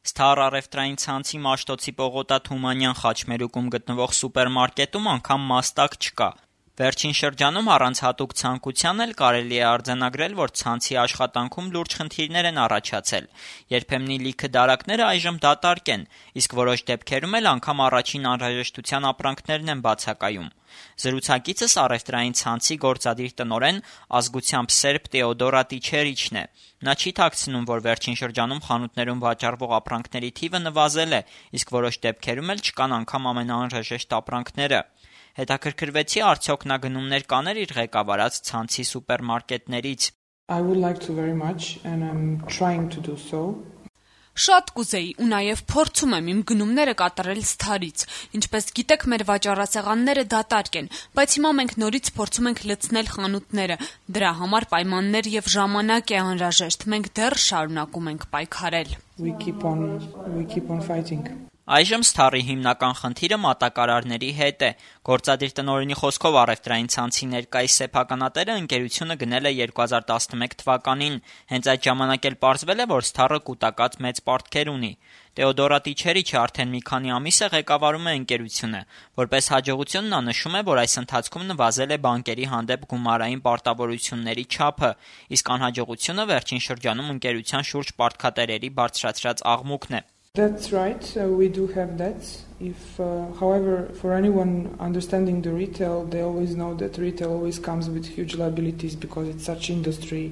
Սթար առևտրային ցանցի Մաշտոցի Պողոտա Թումանյան խաչմերուկում գտնվող սուպերմարկետում անգամ մաստակ չկա։ Վերջին շրջանում առանց հատուկ ցանկության էլ կարելի է արձանագրել, որ ցանցի աշխատանքում լուրջ խնդիրներ են առաջացել։ Երբեմնի լիքը դարակները այժմ դատարկ են, իսկ որոշ դեպքերում էլ անգամ առաջին անհրաժեշտության ապրանքներն են բացակայում։ Զրուցակիցս առևտրային ցանցի գործադիր տնօրեն ազգությամբ սերբ Տեոդորա Տիչերիչն է։ Նա չի թաքցնում, որ վերջին շրջանում խանութներում վաճառվող ապրանքների թիվը նվազել է, իսկ որոշ դեպքերում էլ չկան անգամ ամենաանհրաժեշտ ապրանքները։ Հետաքրքրվեցի, արդյոք նա գնումներ կաներ իր ղեկավարած ցանցի սուպերմարկետներից։ I would like to very much and I'm trying to do so. Շատ կուզեի ու նաև փորձում եմ իմ գնումները կատարել Սթարից։ Ինչպես գիտեք, մեր վաճառասեղանները դատարկ են, բայց հիմա մենք նորից փորձում ենք լցնել խանութները։ Դրա համար պայմաններ եւ ժամանակ է անհրաժեշտ։ Մենք դեռ շարունակում ենք պայքարել։ We keep on fighting. Այժմ Սթարի հիմնական խնդիրը մատակարարների հետ է։ Գործադիր տնօրենի խոսքով առևտրային ցանցի ներկայիս սեփականատերը ընկերությունը գնել է 2011 թվականին։ Հենց այդ ժամանակ էլ պարզվել է, որ Սթարը կուտակած մեծ պարտքեր ունի։ Տեոդորա Տիչերիչը արդեն մի քանի ամիս է ղեկավարում է ընկերությունը։ Որպես հաջողություն նա նշում է, որ այս ընթացքում նվազել է բանկերի հանդեպ գումարային պարտավորությունների չափը, իսկ անհաջողությունը վերջին շրջանում ընկերության շուրջ պարտքատերերի բարձրացրած աղմուկն է։ That's right, we do have that. However, for anyone understanding the retail, they always know that retail always comes with huge liabilities because it's such industry.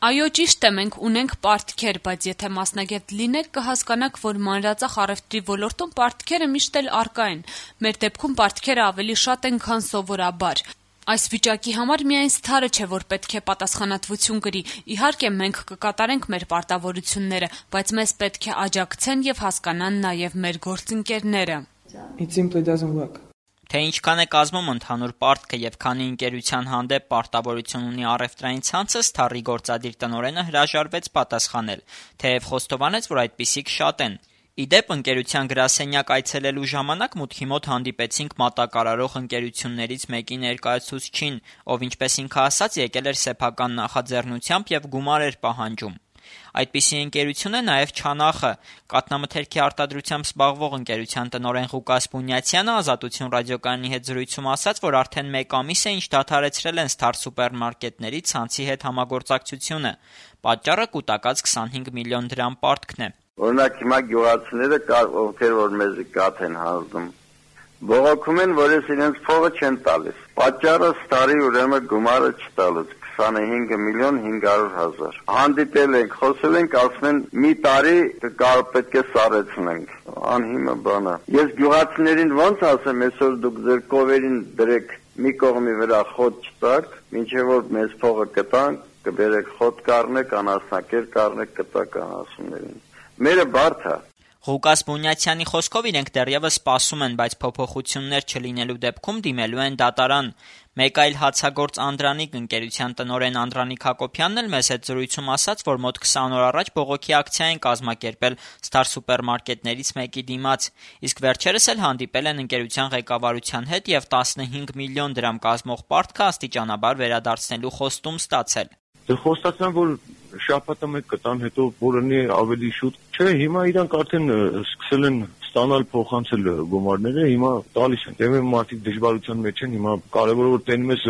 Այո, ճիշտ է, մենք ունենք պարտքեր, բայց եթե մասնագետ լինեք, կհասկանաք, որ մանրածախ առևտրի ոլորտում պարտքերը միշտ էլ առկա են։ Մեր դեպքում պարտքերը ավելի շատ են, քան սովորաբար։ Այս վիճակի համար միայն Սթարը չէ, որ պետք է պատասխանատվություն կրի։ Իհարկե, մենք կկատարենք մեր պարտավորությունները, բայց մեզ պետք է աջակցեն եւ հասկանան նաեւ մեր գործընկերները։ It simply doesn't work. Թե ինչքան է կազմում ընդհանուր պարտքը եւ քանի ընկերության հանդեպ պարտավորություն ունի առևտրային ցանցը, Սթարի գործադիր տնօրենը հրաժարվեց պատասխանել, թեև խոստովանեց, որ այդպիսիք շատ են։ Իդեպ ընկերության գրասենյակ այցելելու ժամանակ մուտքի մոտ հանդիպեցինք մատակարարող ընկերություններից մեկի ներկայացուցչին, ով ինչպես ինքը ասաց, եկել էր սեփական նախաձեռնությամբ եւ գումար էր պահանջում։ Այդպիսի ընկերություն է նաև Չանախը։ Կաթնամթերքի արտադրությամբ զբաղվող ընկերության տնօրեն Ղուկաս Բունյացյանը Ազատություն ռադիոկայանի հետ զրույցում ասաց, որ արդեն 1 ամիս է ինչ դադարեցրել են Սթար սուպերմարկետների ցանցի հետ համագործակցությունը։ Պատճառը կուտակած 25 միլիոն դրամ պարտքն է։ Օրինակ հիմա գյուղացիները կար, ովքեր որ մեզ կաթ են հանձնում, բողոքում են, որ իրենց փողը չեն տալիս։ Պատճառը Սթարի ուրեմն գումարը չտալուց 25 միլիոն 500 հազար։ Հանդիպել ենք, խոսել ենք, ասում են մի տարի պետք է սարեցնենք։ Անհիմը բան է։ Ես գյուղացիներին ոնց ասեմ, այսօր դուք ձեր կովերին դրեք մի կողմի վրա խոտ չտակ, մինչև որ մեզ փողը կտանք, կբերեք խոտ կառնեք, անասնակեր կառնեք, կտակ անասուններին։ Մերը բարդ է։ Ղուկաս Բունյացյանի խոսքով իրենք դեռևս սպասում են, բայց փոփոխություններ չլինելու դեպքում դիմելու են դատարան։ Մեկ այլ հացագործ Անդրանիկ ընկերության տնօրեն Անդրանիկ Հակոբյանն էլ մեզ հետ զրույցում ասաց, որ մոտ 20 օր առաջ բողոքի ակցիա են կազմակերպել Սթար սուպերմարկետներից մեկի դիմաց, իսկ վերջերս էլ հանդիպել են ընկերության ղեկավարության հետ եւ 15 միլիոն դրամ կազմող պարտքը աստիճանաբար վերադարձնելու խոստում ստացել։ Խոստացան, որ շաբաթը մեկ կտան, հետո որոնի ավելի շուտ։ Չէ, հիմա իրանք արդեն սկսել են ստանալ փոխանցել գումարները, հիմա տալիս են։ Դե մարդիկ դժվարության մեջ են, հիմա կարևորը որ տենում ես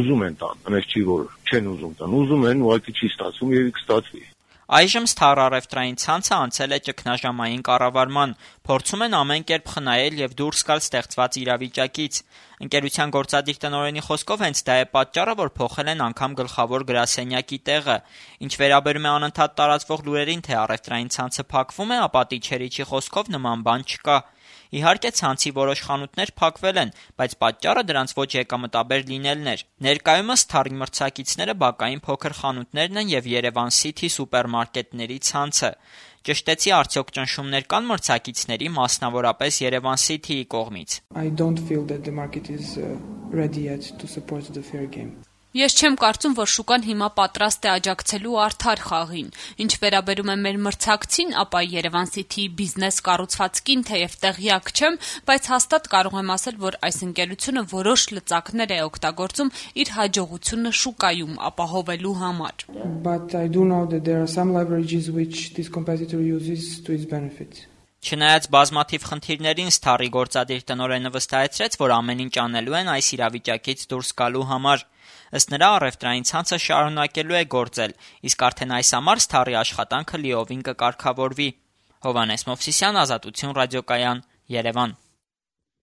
ուզում են տան, այնպես չի որ չեն ուզում տան։ Ուզում են, ուղղակի չի ստացվում եւ կստացվի։ Այժմ Սթար առևտրային ցանցը անցել է ճգնաժամային կառավարման, փորձում են ամեն կերպ խնայել եւ դուրս գալ ստեղծված իրավիճակից։ Ընկերության գործադիր տնօրենի խոսքով հենց դա է պատճառը, որ փոխել են անգամ գլխավոր գրասենյակի տեղը։ Ինչ վերաբերում է անընդհատ տարածվող լուրերին, թե առևտրային ցանցը փակվում է, ապա Տիչերիչի խոսքով նման բան չկա։ Իհարկե ցանցի որոշ խանութներ փակվել են, բայց պատճառը դրանց ոչ եկամտաբեր լինելն էր։ Ներկայումս Սթարի մրցակիցները բակային փոքր խանութներն են եւ Երևան City սուպերմարկետների ցանցը։ Ճշտեցի, արդյոք ճնշումներ կան մրցակիցների, մասնավորապես Երևան City-ի կողմից։ I don't feel that the market is ready yet to support the fair game. Ես չեմ կարծում, որ շուկան հիմա պատրաստ է աջակցելու արդար խաղին։ Ինչ վերաբերում է մեր մրցակցին, ապա Yerevan City-ի բիզնես կառուցվածքին թեև տեղյակ չեմ, բայց հաստատ կարող եմ ասել, որ այս ընկերությունը որոշ լծակներ է օգտագործում իր հաջողությունը շուկայում ապահովելու համար։ But I do know that there are some leverages which this competitor uses to its benefit. Չնայած բազմաթիվ խնդիրներին, Սթարի գործադիր տնօրենը վստահեցրեց, որ ամեն ինչ անելու են այս իրավիճակից դուրս գալու համար։ Ըստ նրա, առևտրային ցանցը շարունակելու է գործել, իսկ արդեն այս ամառ Սթարի աշխատանքը լիովին կկարգավորվի։ Հովհաննես Մովսիսյան, Ազատություն ռադիոկայան, Երևան։